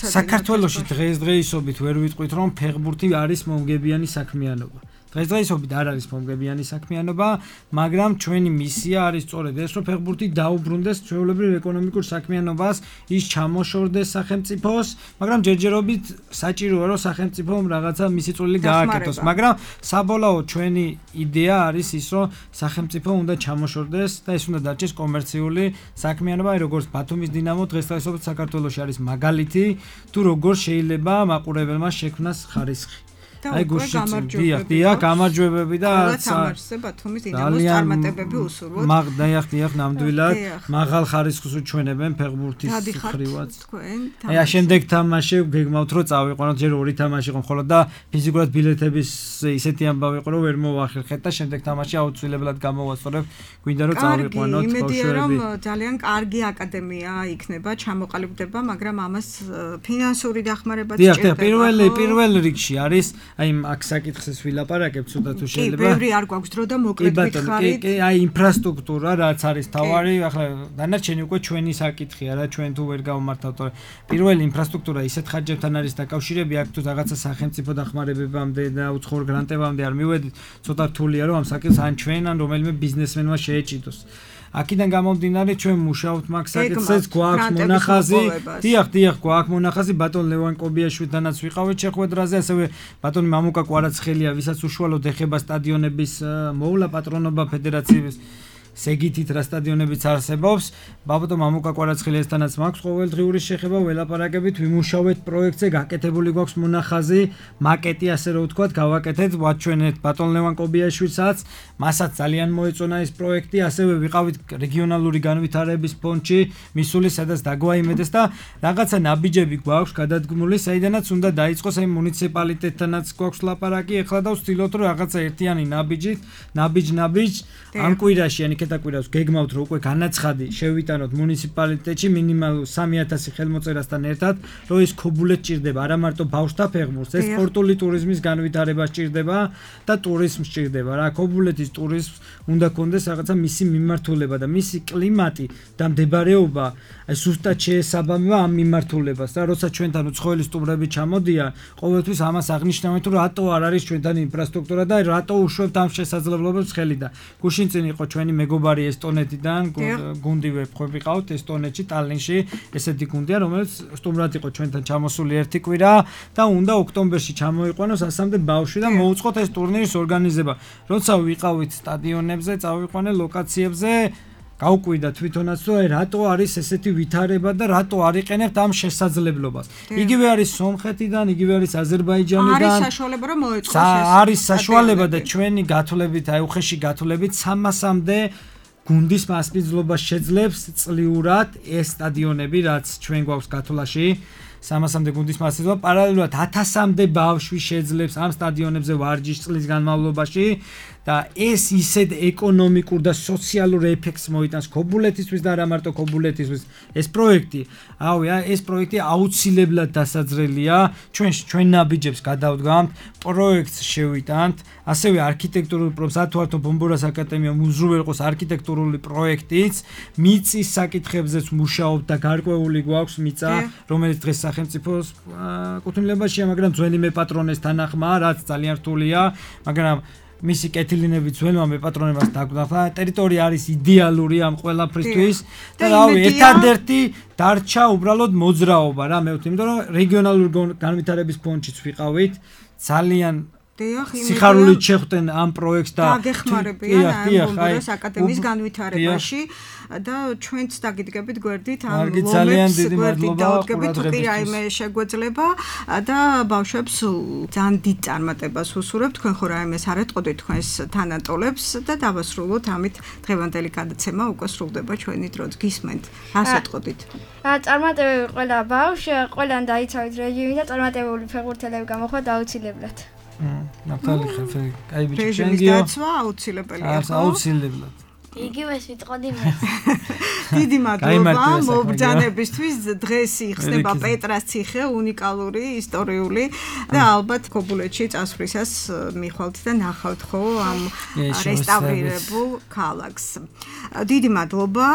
[SPEAKER 3] საქართველოში დღეისობით ვერ ვიტყვით რომ ფეხბურთი არის მომგებიანი საქმიანობა. დღესდღეობით არ არის მომგებიანი საქმიანობა, მაგრამ ჩვენი მისია არის სწორედ ეს რომ ფეხბურთი დაუბრუნდეს ჩვეულებრივ ეკონომიკურ საქმიანობას, ის ჩამოშორდეს სახელმწიფოს, მაგრამ ჯერჯერობით საჭიროა რომ სახელმწიფომ რაღაცა მისი წვლილი გააკეთოს, მაგრამ საბოლოოდ ჩვენი იდეა არის ის რომ სახელმწიფო უნდა ჩამოშორდეს და ეს უნდა დარჩეს კომერციული საქმიანობა, როგორც ბათუმის დინამო დღესდღეობით საქართველოში არის მაგალითი, თუ როგორ შეიძლება მაყურებელმა შექმნას ხარისხი. აი გუშინ გამარჯვებები და
[SPEAKER 2] სამარხზე ბათუმის დინამოს წარმატებები უსურვოთ.
[SPEAKER 3] დიახ, ნამდვილად მაღალ ხარისხს უჩვენებენ ფეხბურთის ხრივაც. აი შემდეგ თამაში გეგმავთ რომ წავიყვანოთ, ჯერ ორი თამაში იყო მხოლოდ და ფიზიკურად ბილეთების ისეთი ამბავი იყო რომ ვერ მოვახერხეთ და შემდეგ თამაში აუცილებლად გამოვასწორებ, გვინდა რომ წავიყვანოთ ბავშვები.
[SPEAKER 2] იმედია რომ ძალიან კარგი აკადემია იქნება, ჩამოყალიბდება, მაგრამ ამას ფინანსური დახმარებაც
[SPEAKER 3] სჭირდება. დიახ, პირველ რიგში არის აი აქ საკითხს ვილაპარაკებ ცოტა თუ შეიძლება.
[SPEAKER 2] კი, ბევრი არ გვაქვს დრო და მოკლედ გითხარით.
[SPEAKER 3] კი, აი ინფრასტრუქტურა რაც არის თავარი, ახლა დანარჩენი უკვე ჩვენი საკითხია რა, ჩვენ თუ ვერ გავმართავთ. პირველი ინფრასტრუქტურა ისეთ ხარჯებთან არის დაკავშირები, აქ თუ რაღაცა სახელმწიფო დახმარებებამდე და უცხოურ გრანტებამდე არ მივედით, ცოტა რთულია რომ ამ საკითხს ან ჩვენ ან რომელიმე ბიზნესმენმა შეეჭიდოს. აქედან გამომდინარე ჩვენ მუშაობთ მაგ საკითხზეც გვაქვს მონახაზი. დიახ, გვაქვს მონახაზი ბატონ ლევან კობიაშვილთანაც ვიყავით შეხვედრაზე, ასევე ბატონი მამუკა კვარაცხელია, ვისაც უშუალოდ ეხება სტადიონების მოვლა პატრონობა ფედერაციის სეგითით რა სტადიონებიც არსებობს. ბაბატო მამუკა კვარაცხელიასთანაც მაქვს ყოველდღიური შეხება, ველაპარაკებით, ვიმუშავეთ პროექტზე, გაკეთებული გვაქვს მონახაზი, მაკეტი ასე რომ ვთქვათ, გავაკეთეთ, ვაჩვენეთ ბატონ ლევან კობიაშვილსაც, მასაც ძალიან მოეწონა ეს პროექტი, ასევე ვიყავით რეგიონალური განვითარების ფონდში, მისული, სადაც დაგვაიმედეს და რაღაცა ნაბიჯები გვაქვს გადადგმული, საიდანაც უნდა დაიწყოს აი მუნიციპალიტეტთანაც გვაქვს ლაპარაკი, ეხლა და ვცდილობთ რომ რაღაცა ერთიანი ნაბიჯ ამ კვირაში ან კეთაკვირას გეგმავთ რომ უკვე განაცხადი შევიტანოთ მუნიციპალიტეტში მინიმალურ 3000 ხელმოწერასთან ერთად, რომ ეს ქობულეთ ჭირდება, არა მარტო ბავშვთა ფეხბურთს, ეს სპორტული ტურიზმის განვითარება ჭირდება და ტურიზმს ჭირდება. რა ქობულეთის ტურიზმს უნდა კონდეს რაღაცა მისი მიმართულება და მისი კლიმატი და მდებარეობა, აი ზუსტად შეესაბამება ამ მიმართულებას და როცა ჩვენთან უცხოელი სტუმრები ჩამოდიან, ყოველთვის ამას აღნიშნავთ, რომ რატო არ არის ჩვენთან ინფრასტრუქტურა და რატო უშვებთ ამ შესაძლებლობებს ხელი და გუშინ წინ იყო ჩვენი მეგობარი მეგობარი ესტონეთიდან გუნდი ვეფხვები ყავთ ესტონეთში ტალინში ესეთი გუნდია რომელიც სტუმრად იყო ჩვენთან ჩამოსული ერთი კვირა და უნდა ოქტომბერში ჩამოიყვანოს ასამდე ბავშვი და მოუწყოთ ეს ტურნირის ორგანიზება როცა ვიყავით სტადიონებზე წავიყვანე ლოკაციებზე გავკვირდა თვითონაც რომ რატო არის ესეთი ვითარება და რატო არ იყენებთ ამ შესაძლებლობას. იგივე არის სომხეთიდან, იგივე არის აზერბაიჯანიდან.
[SPEAKER 2] არის საშუალება რომ მოეწყოს ეს.
[SPEAKER 3] არის საშუალება და ჩვენი გათვლებით, აი უხეში გათვლებით 300-მდე გუნდის მასპინძლობას შეძლებს წლიურად ეს სტადიონები, რაც ჩვენ გვაქვს გათვლაში. 300-მდე გუნდის მასპინძლობა პარალელურად 1000-მდე ბავშვი შეძლებს ამ სტადიონებზე ვარჯიშს წლის განმავლობაში და ეს ისეთ ეკონომიკურ და სოციალურ ეფექტს მოიტანს ქობულეთისთვის და არა მარტო ქობულეთისთვის ეს პროექტი ეს პროექტი აუცილებლად დასაძრელია ჩვენ ნაბიჯებს გადავდგამთ პროექტს შევიტანთ ასევე არქიტექტურული პროფესორ ბომბორას აკადემია უზრუნველყოს არქიტექტურული პროექტიც მიწის საკითხებზეც მუშაობთ და გარკვეული გვაქვს მიწა რომელიც დღეს სახელმწიფოს კუთვნილებაშია მაგრამ ძველი მეპატრონეს თანახმაა რაც ძალიან რთულია მაგრამ მისი კეთილინები ძველმა მეპატრონებას დაგვდახა ტერიტორია არის იდეალური ამ ყველაფრისთვის და რავი ერთადერთი დარჩა უბრალოდ მოძრაობა რა მე ვთქვი იმიტომ რომ რეგიონალური განვითარების ფონდშიც ვიყავით ძალიან სიხარულით შეხვდნენ ამ პროექტს და
[SPEAKER 2] გაგეხმარებიან ამ ბომბორას აკადემიის განვითარებაში და ჩვენც დაგიდგებით გვერდით ამ ლომებს გვერდით დავდგებით თუ კი რაიმე შეგვეძლება და ბავშვებს ძალიან დიდ წარმატებას უსურვებთ თქვენ ხო რაიმეს არ ეტყოდით თქვენს თანატოლებს და დავასრულოთ ამით დღევანდელი გადაცემა უკვე სრულდება ჩვენი დროც გისმენთ რას ეტყოდით
[SPEAKER 4] წარმატებები ყველა ბავშვს ყველან დაიცავით რეჟიმი და წარმატებული ფეხბურთელები გამოხდა აუცილებლად
[SPEAKER 3] ნაფთალი ხალხი კაი ბიჭი
[SPEAKER 2] ჩვენგიო დაცვა აუცილებელია ხო
[SPEAKER 3] აუცილებლად
[SPEAKER 4] იგივეს ვიტყოდი მე
[SPEAKER 2] დიდი მადლობა მობრძანებისთვის დღეს იხსნება პეტრას ციხე უნიკალური ისტორიული და ალბათ ქობულეთში წასვლისას მიხვალთ და ნახავთ ხო ამ რესტავრირებულ ქალაქს დიდი მადლობა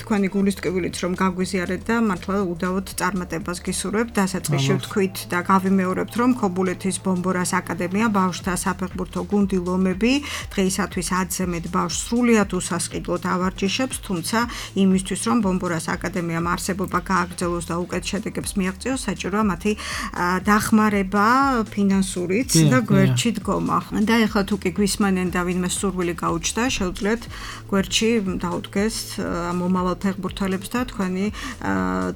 [SPEAKER 2] თქვენი გულის ტკივილით რომ გაგვიზიარეთ და მართლა უდავოდ წარმატებას გისურვებთ დასაწყისში ვთქვით და გავიმეორებთ რომ ქობულეთის ბომბორას აკადემია ბავშვთა საფეხბურთო გუნდი ლომები დღეისათვის 10-ზე მეტ ბავშვს სრულიად უსასყიდლოდ ავარჯიშებს თუმცა იმისთვის რომ ბომბორას აკადემიამ არსებობა გააგრძელოს და უკეთ შედეგებს მიაღწიოს საჭიროა მათი დახმარება ფინანსურით და გვერდში დგომა და ეხლა თუ კი გვისმენენ და ვინმე სურვილი გაუჩნდა შეუძლიათ გვერდში დაუდგეს მომავალ ფეხბურთელებს და თქვენი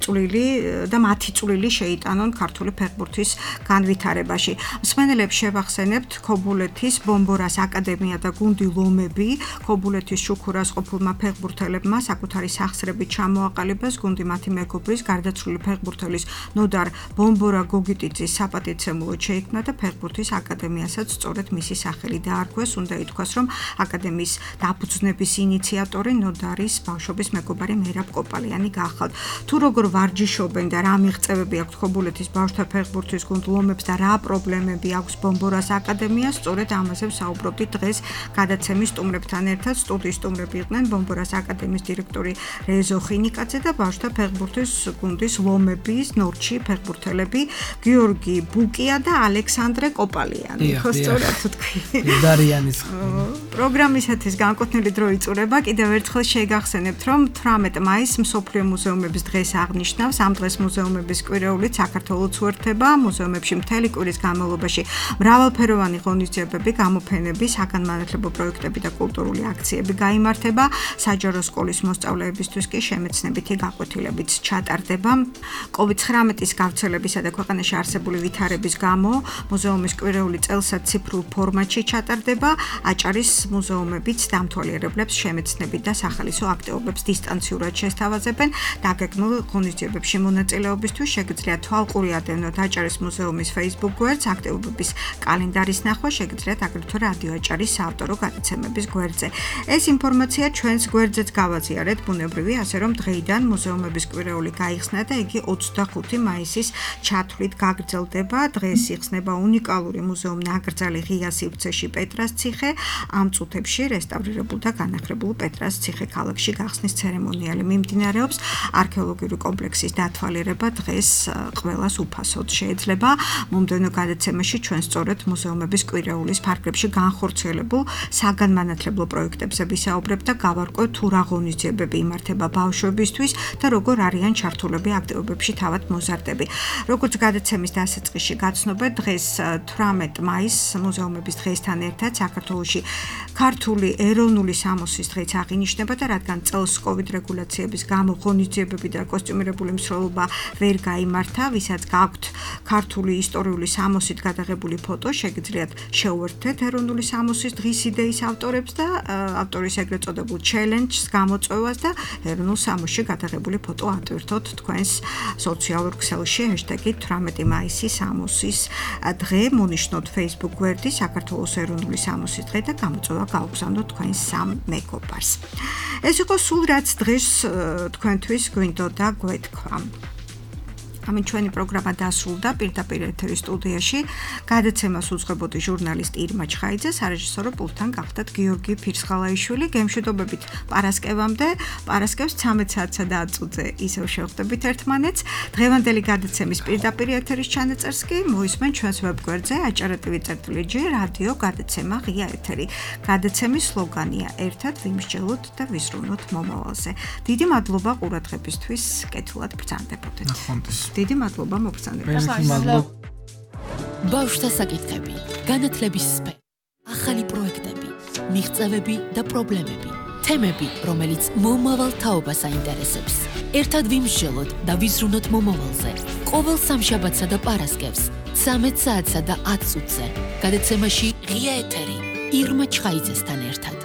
[SPEAKER 2] წვლილი და მათი წვლილი შეიტანონ ქართული ფეხბურთის განვითარებაში მსმენელებს შევახსენებთ ქობულეთის ბომბორას აკადემია და გუნდი ლომები ქობულეთის შუქურას ყოფილმა ფეხბურთელებმა საკუთარი სახსრებით ჩამოაყალიბეს გუნდი მათი მეგობრის გარდაცვლილი ფეხბურთელის ნოდარ ბომბორა გოგიტიძის საპატიცემულოდ შეიქმნა და ფეხბურთის აკადემიასაც სწორედ მისი სახელი დაარქვეს უნდა ითქვას რომ აკადემიის დაფუძნების ინიციატორი ნოდარის ბავშვობის მეგობარი მერაბ კოპალიანი გახალთ თუ როგორ ვარჯიშობენ და რა მიღწევები აქვს ქობულეთის ბავშვთა ფეხბურთის გუნდ ლომებს და რა პრობლემები აქვს ბომბორას აკადემიას სწორედ ამაზე ვსაუბრობდით დღეს გადაცემის სტუმრებთან ერთად სტუდიის სტუმრები იყვნენ ბომბორას აკადემიის დირექტორი რეზო ხინიკაძე და ბავშვთა ფეხბურთის გუნდის ლომების ნორჩი ფეხბურთელები გიორგი ბუკია და ალექსანდრე კოპალიანი ხო სწორად თქვი
[SPEAKER 3] დარიანის
[SPEAKER 2] პროგრამისათვის განკუთვნილი დრო იწურება კიდევ ერთხელ შეგახსენებთ რომ 18 მაისს მსოფლიო მუზეუმების დღეს აღნიშნავს ამ დღეს მუზეუმების კვირეულით საქართველოს უერთდება მუზეუმებში მთელი კვირის განმავლობაში მრავალფეროვანი ღონისძიებები გამოფენები საგანმანათლებლო პროექტები და კულტურული აქციები გაიმართება საჯარო სკოლის მოსწავლეებისთვის კი შემეცნებითი გაკვეთილებიც ჩატარდება COVID-19-ის გავრცელებისა და ქვეყანაში არსებული ვითარების გამო მუზეუმის კვირეული წელსაც ციფრულ ფორმატში ჩატარდება აჭარის მუზეუმებიც დამთვალიერებლებს შემეცნებით და სახალისო აქტივობებს დისტანციურად შესთავაზებენ დაგეგმილ ღონისძიებებში მონაწილეობისთვის შეგიძლიათ თვალყური ადევნოთ აჭარის მუზეუმის Facebook გვერდს აქტივობების კალენდარის ნახვა შეგიძლიათ აგრეთვე რადიო აჭარის საავტორო გადაცემების გვერდზე ეს ინფორმაცია ჩვენს გვერდზეც გავაზიარეთ ბუნებრივი ასე რომ დღეიდან მუზეუმების კვირეული გაიხსნა და იგი 25 მაისის ჩათვლით გაგრძელდება დღეს იხსნება უნიკალური მუზეუმ ნაკრძალი ღია სივრცეში პეტრას ციხე ამ წუთებში რესტავრირებულ და განახლებულ პეტრას ციხე-ქალაქში გახსნის ცერემონიალი მიმდინარეობს. არქეოლოგიური კომპლექსის დათვალიერება დღეს ყველას უფასოდ შეიძლება. მომდევნო გადაცემაში ჩვენ სწორედ მუზეუმების კვირეულის ფარგლებში განხორციელებულ საგანმანათლებლო პროექტებზე ვისაუბრებთ და გავარკვევთ თუ რა ღონისძიებები იმართება ბავშვებისთვის და როგორ არიან ჩართულები აქტივობებში თავად მოზარდები. როგორც გადაცემის დასაწყისში გაცნობთ, დღეს 18 მაისს მუზეუმების დღესთან ერთად საქართველოში ქართული ეროვნული სამოსის დღეც აღინიშნება და რადგან წელს COVID რეგულაციების გამო ღონისძიებები და კოსტიუმირებული მსვლელობა ვერ გაიმართა, ვისაც გაქვთ ქართული ისტორიული სამოსით გადაღებული ფოტო, შეგიძლიათ შეუერთდეთ ეროვნული სამოსის დღის იდეის ავტორებს და ავტორის ეგრეთ წოდებულ ჩელენჯს გამოწვევას და ეროვნულ სამოსში გადაღებული ფოტო ატვირთოთ თქვენს სოციალურ ქსელში #18 მაისი სამოსის დღე, მონიშნოთ Facebook გვერდი საქართველოს ეროვნული სამოსის დღე და გამოწვევა გაუგზავნოთ თქვენ სამ მეგობარს. ეს იყო სულ რაც დღეს თქვენთვის გვინდოდა გვეთქვა. ამით ჩვენი პროგრამა დასრულდა. პირდაპირ ეთერის სტუდიაში გადაცემას უძღვებოდი ჟურნალისტ ირმა ჩხაიძე, სარეჟისორო პულტთან გახდათ გიორგი ფირსხალაიშვილი. გემშვიდობებით პარასკევამდე. პარასკევს 13 საათსა და 10 წუთზე ისევ შევხვდებით ერთმანეთს. დღევანდელი გადაცემის პირდაპირ ეთერის ჩანაწერს კი მოისმენ ჩვენს ვებგვერდზე acara.tv/g რადიო გადაცემა ღია ეთერი. გადაცემის სლოგანია ერთად ვიმსჯელოთ და ვიზრუნოთ მომავალზე. დიდი მადლობა ყურადღებისთვის. კეთილად ბრძანდებოდეთ. დიდი მადლობა მოგწონებთ.
[SPEAKER 1] ბავშვთა საკითხები, განათლების სფერო, ახალი პროექტები, მიღწევები და პრობლემები, თემები, რომელიც მომავალ თაობას აინტერესებს. ერთად ვიმსჯელოთ და ვიზრუნოთ მომავალზე. ყოველ სამშაბათსა და პარასკევს 13 საათსა და 10 წუთზე. გადაცემაში ღია ეთერი ირმა ჩხაიძესთან ერთად.